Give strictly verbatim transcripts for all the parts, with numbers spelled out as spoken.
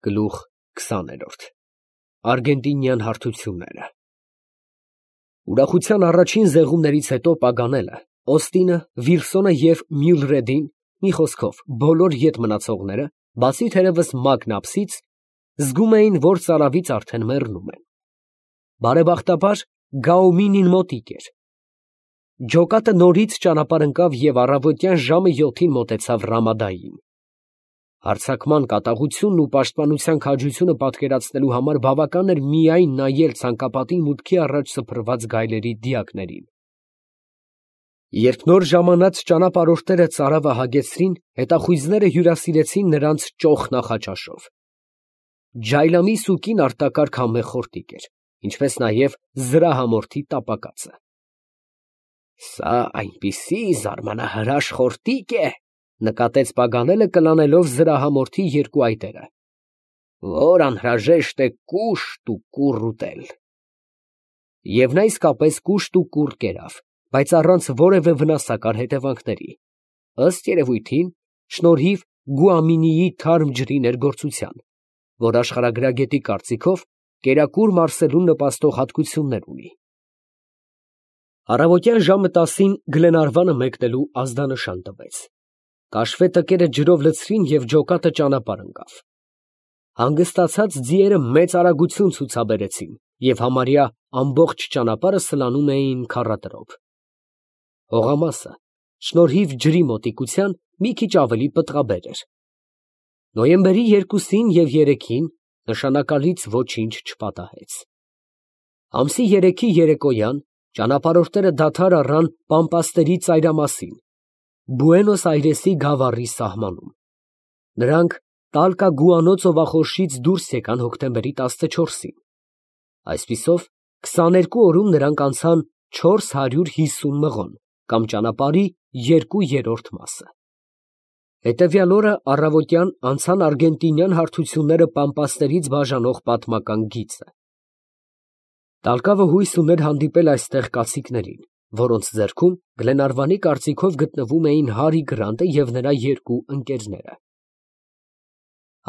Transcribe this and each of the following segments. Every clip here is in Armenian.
Գլուխ քսաներորդ Արգենտինյան հարթությունները Ուրախության առաջին զեղումներից հետո Պագանելը, Օստինը, Վիլսոնը և Մյուլրեդին, մի խոսքով, բոլոր ետ մնացողները, բացի թերևս Մակնապսից, զգում էին, որ ծարավից արդեն մեռնում են։ Բարեբախտաբար Գաումինին մոտիկ էր։ Ջոկատը նորից ճանապարհ ընկավ և առավոտյան ժամը յոթին մոտեցավ Ռամադային։ Հարձակման կատաղությունն ու պաշտպանության քաջությունը պատկերացնելու համար բավական էր միայն նայել ցանկապատի մուտքի առաջ սփռված գայլերի դիակներին։ Երբ նոր ժամանած ճանապարհորդները ծարավը հագեցրին, հետախույզները հյուրասիրեցին նրանց ճոխ նախաճաշով։ Ջայլամի սուկին արտակարգ համեղ խորտիկ էր, ինչպես նաև զրահամորթի տապակածը։ Սա այնպիսի զարմանահրաշ խորտիկ է, նկատեց Պագանելը կլանելով զրահամորթի երկու այտերը, որ անհրաժեշտ է կուշտ ու կուռ ուտել։ Եվ նա իսկապես կուշտ ու կուռ կերավ, բայց առանց որևէ վնասակար հետևանքների, ըստ երևույթին, շնորհիվ Գուամինիի թարմ ջրի ներգործության, որ աշխարհագրագետի կարծիքով կերակուր մարսելուն նպաստող հատկություններ ունի։ Առավոտյան ժամը տասին Գլենարվանը մեկնելու ազդանշան տվեց։ Կաշվե տկերը ջրով լցրին և ջոկատը ճանապարհ ընկավ։ Հանգստացած ձիերը մեծ արագություն ցուցաբերեցին և համարյա ամբողջ ճանապարհը սլանում էին քառատրով։ Հողամասը, շնորհիվ ջրի մոտիկության, մի քիչ ավելի պտղաբեր էր։ Նոյեմբերի երկուսին և երեքին նշանակալից ոչինչ չպատահեց։ Ամսի երեքի երեկոյան ճանապարհորդները դադար առան Պամպասների ծայրամասին, Բուենոս Այրեսի գավառի սահմանում։ Նրանք Տալկա֊Գուանո ծովախորշից դուրս եկան հոկտեմբերի տասնչորսին։ Այսպիսով, քսաներկու օրում նրանք անցան չորս հարյուր հիսուն մղոն, կամ ճանապարհի երկու երրորդ մասը։ Հետևյալ օրը առավոտյան անցան արգենտինյան հարթությունները Պամպասներից բաժանող պատմական գիծը։ Տալկավը հույս ուներ հանդիպել այստեղ կացիկներին, որոնց ձեռքում Գլենարվանի կարծիքով գտնվում էին Հարի Գրանտը և նրա երկու ընկերները։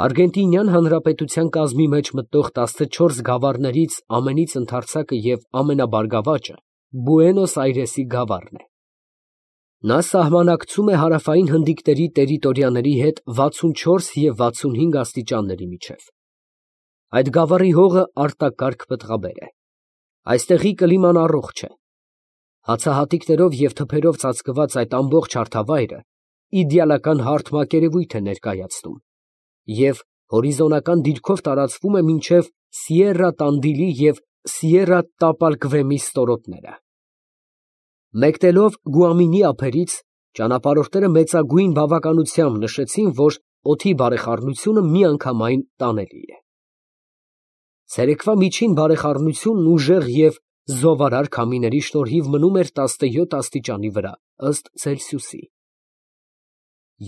Արգենտինյան հանրապետության կազմի մեջ մտնող տասնչորս գավառներից ամենից ընդարձակը և ամենաբարգավաճը Բուենոս Այրեսի գավառն է։ Նա սահմանակցում է հարավային հնդիկների տերիտորիաների հետ վաթսունչորս և վաթսունհինգ աստիճանների միջև։ Այդ գավառի հողը արտակարգ պտղաբեր է։ Այստեղի կլիման առողջ է։ Հացահատիկներով և թփերով ծածկված այդ ամբողջ հարթավայրը իդեալական հարթ մակերևույթ է ներկայացնում և հորիզոնական դիրքով տարածվում է մինչև Սիերա Տանդիլի և Սիերա Տապալկվեմի ստորոտները։ Մեկնելով Գուամինի ափերից, ճանապարհորդները մեծագույն բավականությամբ նշեցին, որ օդի բարեխառնությունը միանգամայն տանելի է։ Ցերեկվա միջին բարեխառնությունն ուժեղ և զովարար քամիների շնորհիվ մնում էր տասնյոթ աստիճանի վրա, ըստ Ցելսիուսի։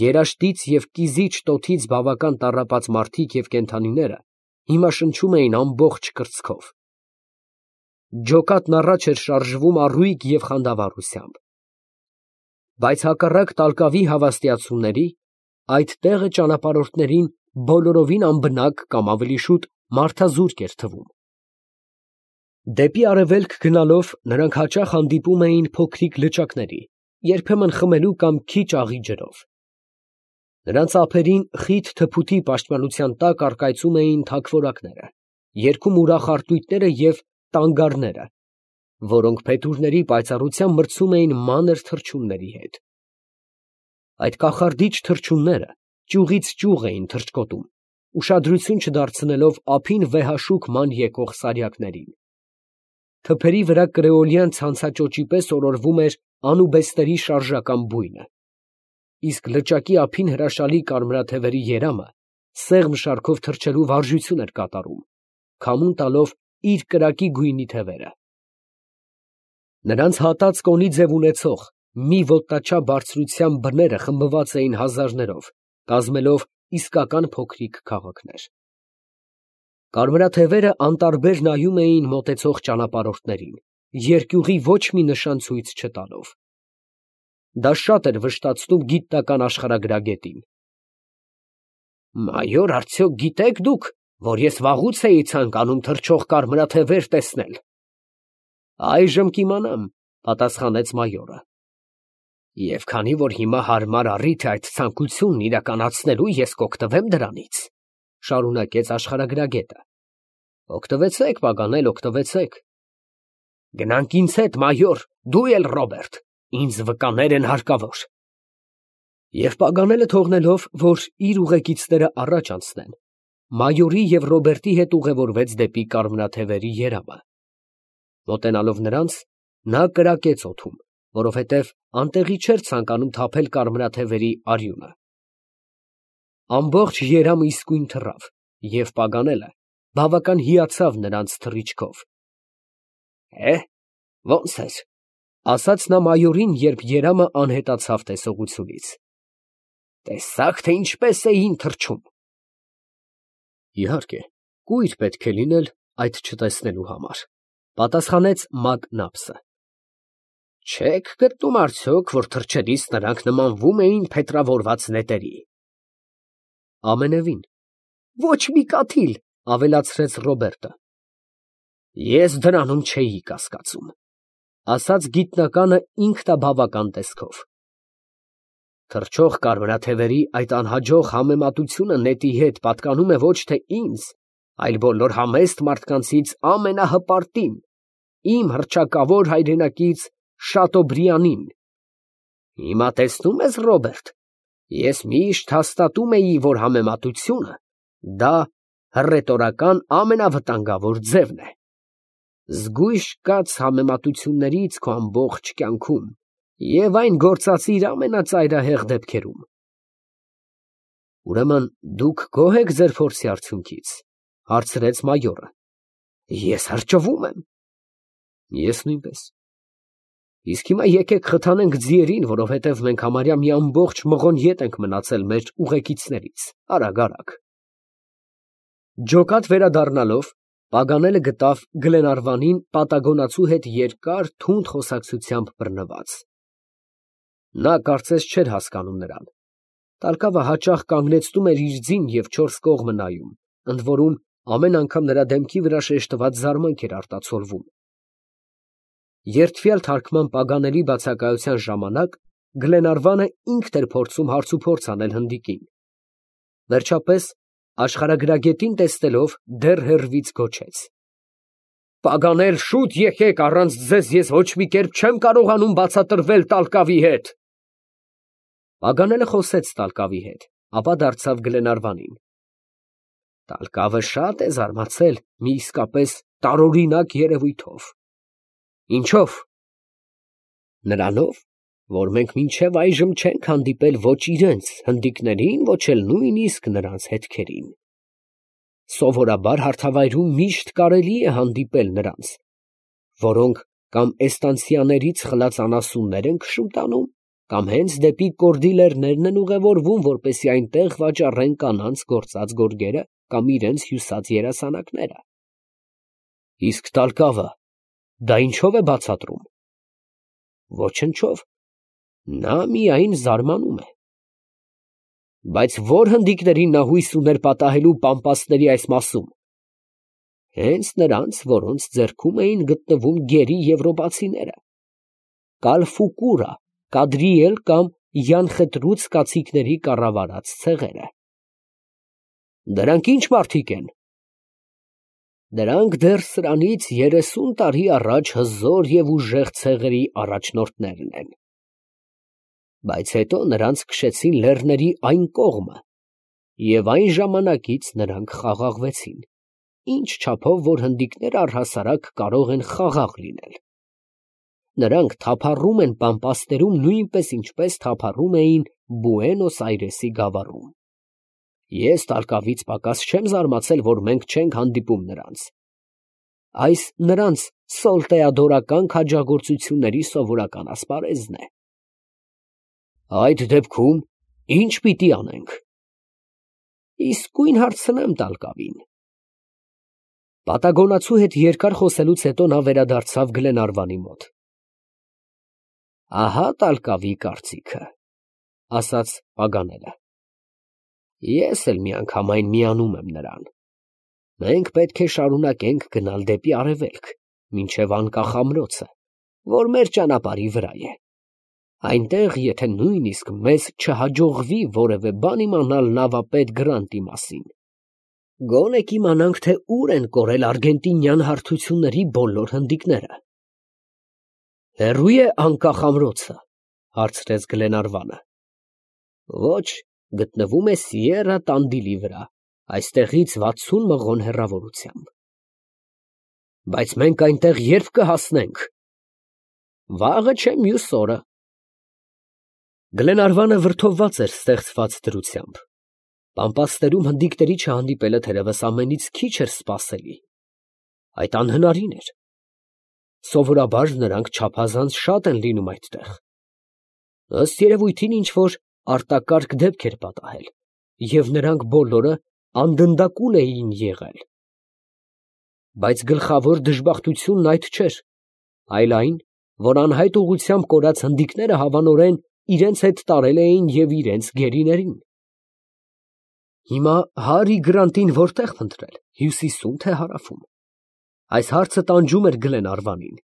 Երաշտից և կիզիչ տոթից բավական տառապած մարդիկ և կենդանիները հիմա շնչում էին ամբողջ կրծքով։ Ջոկատն առաջ էր շարժվում առույգ և խանդավառությամբ։ Բայց հակառակ Տալկավի հավաստիացումների, այդ տեղը ճանապարհորդներին բոլորովին անբնակ կամ ավելի շուտ մարդազուրկ էր թվում։ Դեպի արևելք գնալով նրանք հաճախ հանդիպում էին փոքրիկ լճակների, երբեմն խմելու կամ քիչ աղի ջրով։ Նրանց ափերին խիտ թփուտի պաշտպանության տակ առկայծում էին թագվորակները, երգում ուրախ արծույթները և տանգարները, որոնք փետուրների պայծառությամբ մրցում էին մանր թռչունների հետ։ Այդ կախարդիչ թռչունները ճյուղից ճյուղ էին թռչկոտում, ուշադրություն չդարձնելով ափին վեհաշուք ման եկող սարյակներին։ Թփերի վրա կրեոլյան ցանցաճոճի պես օրորվում էր անուբեստերի շարժական բույնը, իսկ լճակի ափին հրաշալի կարմրաթևերի երամը սեղմ շարքով թռչելու վարժություն էր կատարում, քամուն տալով իր կրակի գույնի թևերը։ Նրանց հատած կոնի ձև ունեցող մի ոտնաչափ բարձրության բները խմբված էին հազարներով, կազմելով իսկական փոքրիկ քաղաքներ։ Կարմրաթևերը անտարբեր նայում էին մոտեցող ճանապարհորդներին, երկյուղի ոչ մի նշան ցույց չտալով։ Դա շատ էր վշտացնում գիտնական աշխարհագրագետին։ Մայոր, արդյոք գիտեք դուք, որ ես վաղուց էի ցանկանում թռչող կարմրաթևեր տեսնել։ Այժմ կիմանամ, պատասխանեց մայորը։ Եվ քանի որ հիմա հարմար առիթ է այդ ցանկությունն իրականացնելու, ես կօգտվեմ դրանից, շարունակեց աշխարհագրագետը։ Օգտվեցեք, Պագանել, օգտվեցեք։ Գնանք ինձ հետ, մայոր, դու էլ, Ռոբերտ, ինձ վկաներ են հարկավոր։ Եվ Պագանելը թողնելով, որ իր ուղեկիցները առաջ անցնեն, մայորի և Ռոբերտի հետ ուղևորվեց դեպի կարմրաթևերի երամը։ Մոտենալով նրանց, նա կրակեց օդում, որովհետև անտեղի չէր ցանկանում թափել կարմրաթևերի արյունը։ Ամբողջ երամը իսկույն թռավ, և Պագանելը բավական հիացավ նրանց թռիչքով։ Է, ո՞նց էր, ասաց նա մայորին, երբ երամը անհետացավ տեսողությունից։ Տեսա՞ք, թե ինչպես էին թռչում։ Իհարկե, կույր պետք է լինել այդ չտեսնելու համար, պատասխանեց Մակնապսը։ Չեք գտնում արդյոք, որ թռչելիս նրանք նմանվում էին փետրավորված նետերի։ Ամենևին։ Ոչ մի կաթիլ, ավելացրեց Ռոբերտը։ Ես դրանում չէի կասկածում, ասաց գիտնականը ինքնաբավական տեսքով։ Թռչող կարմրաթևերի այդ անհաջող համեմատությունը նետի հետ պատկանում է ոչ թե ինձ, այլ բոլոր համեստ մարդկանցից ամենահպարտին, իմ հռչակավոր հայրենակից Շատոբրիանին։ Հիմա տեսնում ես, Ռոբերտ, ես միշտ հաստատում էի, որ համեմատությունը դա հռետորական ամենավտանգավոր ձևն է։ Զգույշ կաց համեմատություններից քո ամբողջ կյանքում և այն գործածիր ամենածայրահեղ դեպքերում։ Ուրեմն դուք գոհ եք ձեր փորձի արդյունքից, հարցրեց մայորը։ Ես հրճվում եմ։ Ես նույնպես։ Իսկ հիմա եկեք խթանենք ձիերին, որովհետև մենք համարյա մի ամբողջ մղոն ետ ենք մնացել մեր ուղեկիցներից, արագ, արագ։ Ջոկատ վերադառնալով, Պագանելը գտավ Գլենարվանին պատագոնացու հետ երկար թունդ խոսակցությամբ բռնված։ Նա կարծես չէր հասկանում նրան։ Տալկավը հաճախ կանգնեցնում էր իր ձին և չորս կողմը նայում, ընդ որում ամեն անգամ նրա դեմքի վրա շեշտված զարմանք էր արտացոլվում։ Երդվյալ թարգման Պագանելի բացակայության ժամանակ Գլենարվանը ինքն էր փորձում հարցուփորձ անել հնդիկին։ Վերջապես, աշխարհագրագետին տեսնելով, դեռ հեռվից գոչեց. Պագանել, շուտ եկեք, առանց ձեզ ես ոչ մի կերպ չեմ կարողանում բացատրվել Տալկավի հետ։ Պագանելը խոսեց Տալկավի հետ, ապա դարձավ Գլենարվանին։ Տալկավը շատ է զարմացել մի իսկապես տարօրինակ երևույթով։ Ինչո՞վ։ Նրանով, որ մենք մինչև այժմ չենք հանդիպել ոչ իրենց հնդիկներին, ոչ էլ նույնիսկ նրանց հետքերին։ Սովորաբար հարթավայրում միշտ կարելի է հանդիպել նրանց, որոնք կամ էստանցիաներից խլած անասուններ են քշում տանում, կամ հենց դեպի կորդիլերներն են ուղևորվում, որպեսզի այնտեղ վաճառեն կանանց գործած գորգերը կամ իրենց հյուսած երասանակները։ Իսկ Տալկավը դա ինչով է բացատրում։ Ոչնչով, նա միայն զարմանում է։ Բայց ո՞ր հնդիկներին նա հույս ուներ պատահելու Պամպասների այս մասում։ Հենց նրանց, որոնց ձեռքում էին գտնվում գերի եվրոպացիները։ Կալֆուկուրա, Կադրիել կամ Յանխետրուց կացիկների կառավարած ցեղերը։ Դրանք ի՞նչ մարդիկ են։ Դրանք դեռ սրանից երեսուն տարի առաջ հզոր և ուժեղ ցեղերի առաջնորդներն են։ Բայց հետո նրանց քշեցին լեռների այն կողմը, և այն ժամանակից նրանք խաղաղվեցին, ինչ չափով, որ հնդիկները առհասարակ կարող են խաղաղ լինել։ Նրանք թափառում են Պամպասներում նույնպես, ինչպես թափառում էին Բուենոս Այրեսի գավառում։ Ես Տալկավից պակաս չեմ զարմացել, որ մենք չենք հանդիպում նրանց։ Այս նրանց սոլտեադորական քաջագործությունների սովորական ասպարեզն է։ Այդ դեպքում ի՞նչ պիտի անենք։ Իսկույն հարցնեմ Տալկավին։ Պատագոնացու հետ երկար խոսելուց հետո նա վերադարձավ Գլենարվանի մոտ։ Ահա Տալկավի կարծիքը, ասաց Պագանելը։ Ես էլ մի անգամ այն միանում եմ նրան։ Մենք պետք է շարունակենք գնալ դեպի արևելք, մինչև անկախ ամրոցը, որ մեր ճանապարհի վրա է։ Այնտեղ, եթե նույնիսկ մեզ չհաջողվի որևէ բան իմանալ նավապետ Գրանտի մասին, գոնե կիմանանք, թե ուր են կորել արգենտինյան հարթությունների բոլոր հնդիկները։ Հեռու է անկախ ամրոցը, հարցրեց Գլենարվանը։ Ոչ, գտնվում է Սիերա Տանդիլի վրա, այստեղից վաթսուն մղոն հեռավորությամբ։ Բայց մենք այնտեղ երբ կհասնենք։ Վաղը չէ, մյուս օրը։ Գլենարվանը վրդովված էր ստեղծված դրությամբ։ Պամպասներում հնդիկների չհանդիպելը թերևս ամենից քիչ էր սպասելի։ Այդ անհնարին էր։ Սովորաբար նրանք չափազանց շատ են լինում այդտեղ։ Ըստ երևույթին ինչ-որ արտակարգ դեպք էր պատահել, և նրանք բոլորը անդնդակուն էին եղել։ Բայց գլխավոր դժբախտությունն այդ չէր, այլ այն, որ անհայտ ուղղությամբ կորած հնդիկները հավանորեն իրենց հետ տարել էին և իրենց գերիներին։ Հիմա Հարի Գրանտին որտեղ փնտրել, հյուսիսո՞ւմ, թե հարավում։ Այս հարցը տանջում էր Գլենարվանին։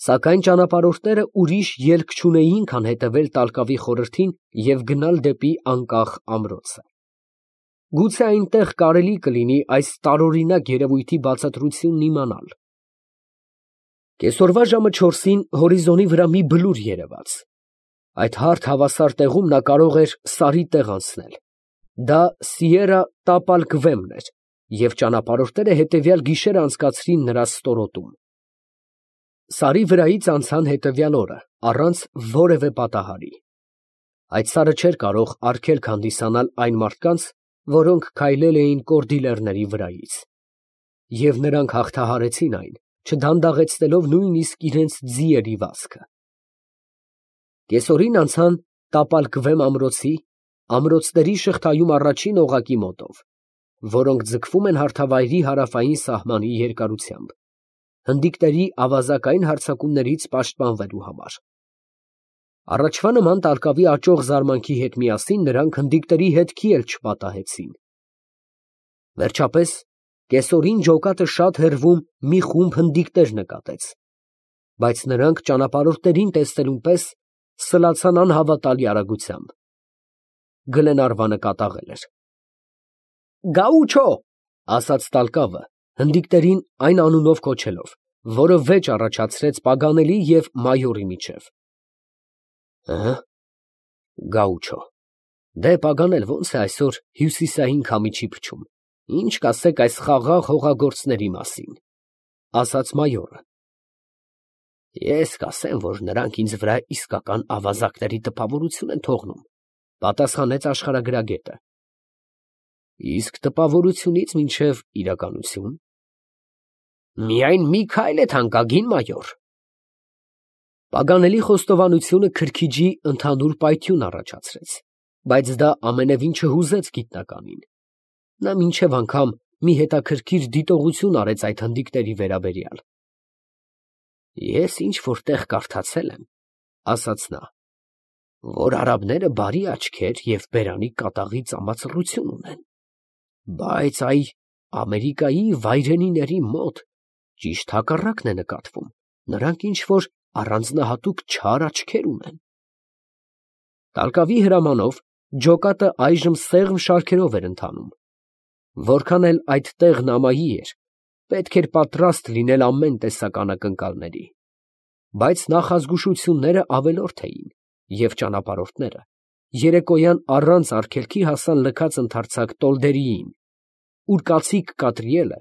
Սակայն ճանապարհորդները ուրիշ ելք չունեին, քան հետևել տալկավի խորհրդին և գնալ դեպի անկախ ամրոցը։ Գուցե այնտեղ կարելի կլինի այս տարօրինակ երևույթի բացատրությունն իմանալ։ Կեսօրվա ժամը չորսին հորիզոնի վրա մի բլուր երևաց։ Այդ հարթ հավասար տեղում նա կարող էր Սարի տեղ անցնել։ Դա Սիերա Տապալկվեմն էր, և ճանապարհորդները հետևյալ գիշերը անցկացրին նրա ստորոտում։ Սարի վրայից անցան հետևյալ օրը, առանց որևէ պատահարի։ Այդ սարը չէր կարող արգելք հանդիսանալ այն մարդկանց, որոնք քայլել էին կորդիլերների վրայից։ Եվ նրանք հաղթահարեցին այն, չդանդաղեցնելով նույնիսկ իրենց ձիերի վազքը։ Կեսօրին անցան Տապալկվեմ ամրոցի, ամրոցների շղթայում առաջին օղակի մոտով, որոնք ձգվում են հարթավայրի հարավային սահմանի երկարությամբ, հնդիկների ավազակային հարձակումներից պաշտպանվելու համար։ Առաջվա նման տալկավի աճող զարմանքի հետ միասին նրանք հնդիկների հետքի էլ չպատահեցին։ Վերջապես, կեսօրին ջոկատը շատ հեռվում մի խումբ հնդիկներ նկատեց, բայց նրանք ճանապարհորդներին տեսնելուն պես սլացան անհավատալի արագությամբ։ Գլենարվանը կատաղել էր։ Գաուչո, ասաց տալկավը, հնդիկներին այն անունով կոչելով, որը վեճ առաջացրեց Պագանելի և մայորի միջև։ Ըհը, Գաուչո, դե Պագանել ո՞նց է այսօր հյուսիսային քամիչի փչում, ինչ կասեք այս խաղաղ հողագործների մասին, ասաց մայորը։ Ես կասեմ, որ նրանք ինձ վրա իսկական ավազակների տպավորություն են թողնում, պատասխանեց աշխարհագրագետը։ Իսկ տպավորությունից մինչև իրականություն։ Միայն մի քայլ է թանկագին մայոր։ Պագանելի խոստովանությունը քրքիջի ընդհանուր պայթյուն առաջացրեց, բայց դա ամենևին չհուզեց գիտնականին։ Նա մինչև անգամ մի հետաքրքիր դիտողություն արեց այդ հնդիկների վերաբերյալ։ Ես ինչ որտեղ կարդացել եմ, ասաց նա, որ արաբները բարի աչքեր և բերանի կատաղի ծամացռություն ունեն, բայց այ Ամերիկայի վայրենիների մոտ ճիշտ հակառակն է նկատվում, նրանք ինչ որ առանձնահատուկ չար աչքեր ունեն։ Տալկավի հրամանով ջոկատը այժմ սեղմ շարքերով էր ընթանում։ Որքան էլ այդ տեղն ամայի էր, պետք էր պատրաստ լինել ամեն տեսակ անակնկալների։ Բայց նախազգուշությունները ավելորդ էին, և ճանապարհորդները երեկոյան առանց արգելքի հասան լքած ընդարձակ Տոլդերիին, ուր կացիկ Կատրիելը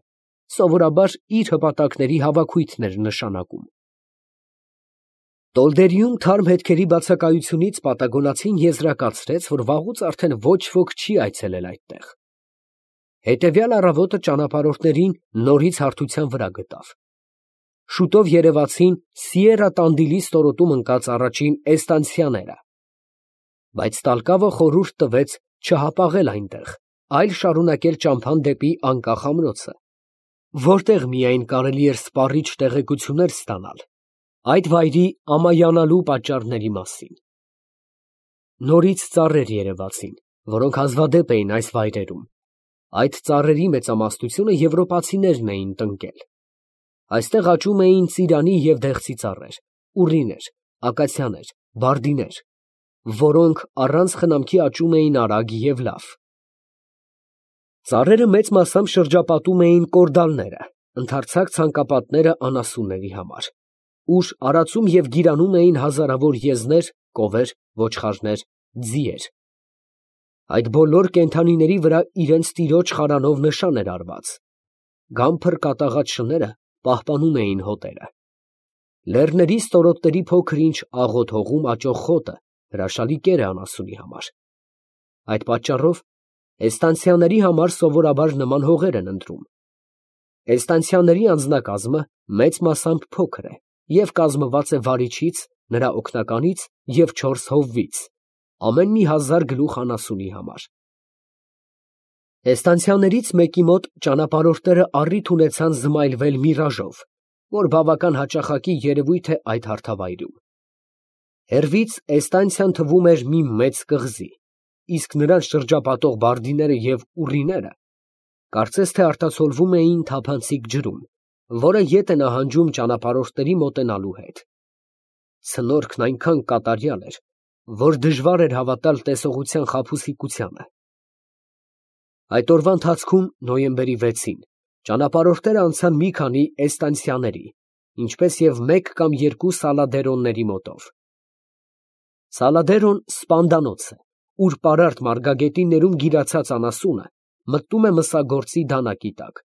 սովորաբար իր հպատակների հավաքույթն էր նշանակում։ Տոլդերիում թարմ հետքերի բացակայությունից պատագոնացին եզրակացրեց, որ վաղուց արդեն ոչ ոք չի այցելել այդտեղ։ Հետևյալ առավոտը ճանապարհորդներին նորից հարթության վրա գտավ։ Շուտով երևացին Սիերա Տանդիլի ստորոտում ընկած առաջին էստանցիաները։ Բայց տալկավը խորհուրդ տվեց չհապաղել այնտեղ, այլ շարունակել ճամփան դեպի անկախ ամրոցը, որտեղ միայն կարելի էր սպառիչ տեղեկություններ ստանալ այդ վայրի ամայանալու պատճառների մասին։ Նորից ծառեր երևացին, որոնք հազվադեպ էին այս վայրերում։ Այդ ծառերի մեծամասնությունը եվրոպացիներն էին տնկել։ Այստեղ աճում էին ծիրանի և դեղցի ծառեր, ուռիներ, ակացիաներ, բարդիներ, որոնք առանց խնամքի աճում էին արագ և լավ։ Ծառերը մեծ մասամբ շրջապատում էին կորդալները, ընդարձակ ցանկապատները անասունների համար, ուր արածում և գիրանում էին հազարավոր եզներ, կովեր, ոչխարներ, ձիեր։ Այդ բոլոր կենդանիների վրա իրենց տիրոջ խարանով նշան էր արված։ Գամփր կատաղած շները պահպանում էին հոտերը։ Լեռների ստորոտների փոքր-ինչ աղոտ հողում աճող խոտը հրաշալի կեր է անասունի համար։ Այդ պատճառով էստանցիաների համար սովորաբար նման հողեր են ընտրում։ Էստանցիաների անձնակազմը մեծ մասամբ փոքր է և կազմված է վարիչից, նրա օգնականից և չորս հովվից, ամեն մի հազար գլուխ անասունի համար։ Էստանցիաներից մեկի մոտ ճանապարհորդները առիթ ունեցան զմայլվել միրաժով, որ բավական հաճախակի երևույթ է այդ հարթավայրում։ Հեռվից էստանցիան թվում էր մի մեծ կղզի, իսկ նրան շրջապատող բարդիները և ուռիները կարծես թե արտացոլվում էին թափանցիկ ջրում, որը ետ է նահանջում ճանապարհորդների մոտենալու հետ։ Ցնորքն այնքան կատարյալ էր, որ դժվար էր հավատալ տեսողության խաբուսիկությանը։ Այդ օրվա ընթացքում, նոյեմբերի վեցին, ճանապարհորդները անցան մի քանի էստանցիաների, ինչպես և մեկ կամ երկու սալադերոնների մոտով։ Սալադերոն սպանդանոց է, ուր պարարտ մարգագետիններում գիրացած անասունը մտնում է մսագործի դանակի տակ։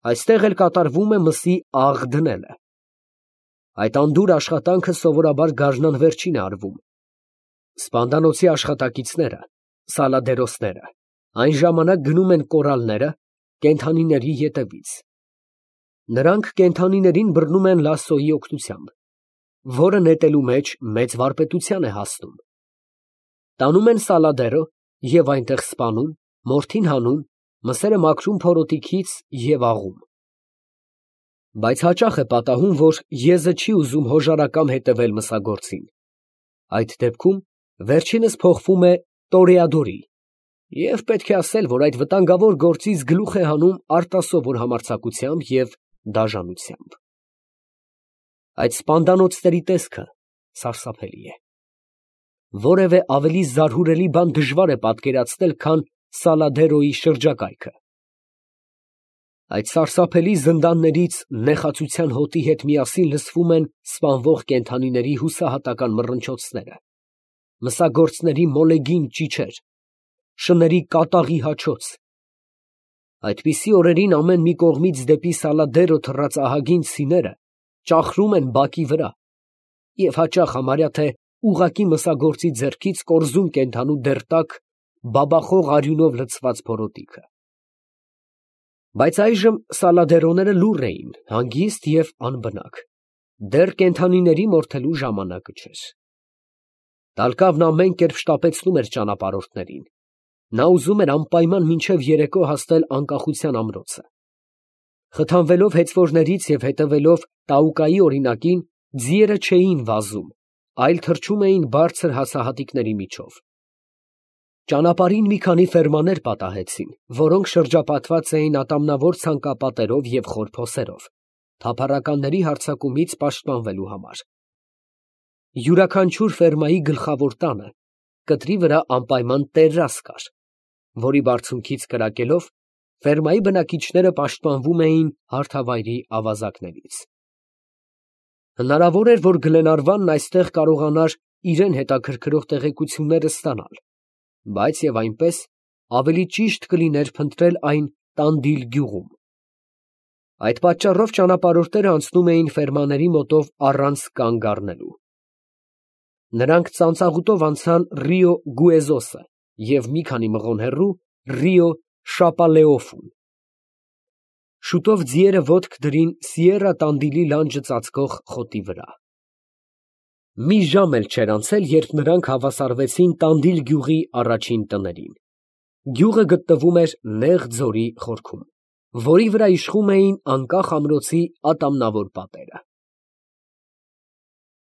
Այստեղ էլ կատարվում է մսի աղ դնելը։ Այդ անդուր աշխատանքը սովորաբար գարնան վերջին է արվում։ Սպանդանոցի աշխատակիցները, սալադերոսները, այն ժամանակ գնում են կորալները կենդանիների ետևից։ Նրանք կենդանիներին բռնում են լասոյի օգնությամբ, որը նետելու մեջ մեծ վարպետության է հասնում։ Տանում են սալադերո և այնտեղ սպանում, մորթին հանում, մսերը մաքրում փորոտիքից և աղում։ Բայց հաճախ է պատահում, որ եզը չի ուզում հոժարակամ հետևել մսագործին։ Այդ դեպքում վերջինս փոխվում է տորեադորի, և պետք է ասել, որ այդ վտանգավոր գործից գլուխ է հանում արտասովոր համարձակությամբ և դաժանությամբ։ Այդ սպանդանոցների տեսքը սարսափելի է։ Որևէ ավելի զարհուրելի բան դժվար է պատկերացնել, քան Սալադերոյի շրջակայքը։ Այդ սարսափելի զնդաններից նեխածության հոտի հետ միասին լսվում են սպանվող կենդանիների հուսահատական մռնչոցները, մսագործների մոլեգին ճիչեր, շների կատաղի հաչոց։ Այդպիսի օրերին ամեն մի կողմից դեպի Սալադերո թռած ահագին ցիները ճախրում են բակի վրա և հաճախ համարյա թե ուղղակի մսագործի ձեռքից կորզում կենդանու դեռ տաք, բաբախող արյունով լցված փորոտիքը։ Բայց այժմ սալադերոները լուռ էին, հանգիստ և անբնակ, դեռ կենդանիների մորթելու ժամանակը չէր։ Տալկավն ամեն կերպ շտապեցնում էր ճանապարհորդներին։ Նա ուզում էր անպայման մինչև երեկո հասնել անկախության ամրոցը։ Խթանվելով հեծվորներից և հետևելով Տաուկայի օրինակին, ձիերը չէին վազում, այլ թռչում էին բարձր հացահատիկների միջով։ Ճանապարհին մի քանի ֆերմաներ պատահեցին, որոնք շրջապատված էին ատամնավոր ցանկապատերով և խոր փոսերով, թափառականների հարձակումից պաշտպանվելու համար։ Յուրաքանչյուր ֆերմայի գլխավոր տանը կտրի վրա անպայման տերաս կար, որի բարձունքից կրակելով ֆերմայի բնակիչները պաշտպանվում էին հարթավայրի ավազակներից։ Հնարավոր էր, որ Գլենարվանն այստեղ կարողանար իրան հետաքրքրող տեղեկությունները ստանալ, բայց և այնպես ավելի ճիշտ կլիներ փնտրել այն Տանդիլ գյուղում։ Այդ պատճառով ճանապարհորդները անցնում էին ֆերմաների մոտով առանց կանգ առնելու։ Նրանք ծանծաղուտով անցան Ռիո Գուեզոսը և մի քանի մղոն հեռու Ռիո Շապալեոֆուն։ Շուտով ձիերը ոտք դրին Սիերա Տանդիլի լանջը ծածկող խոտի վրա։ Մի ժամ էլ չէր անցել, երբ նրանք հավասարվեցին Տանդիլ գյուղի առաջին տներին։ Գյուղը գտնվում էր նեղ ձորի խորքում, որի վրա իշխում էին անկախ ամրոցի ատամնավոր պատերը։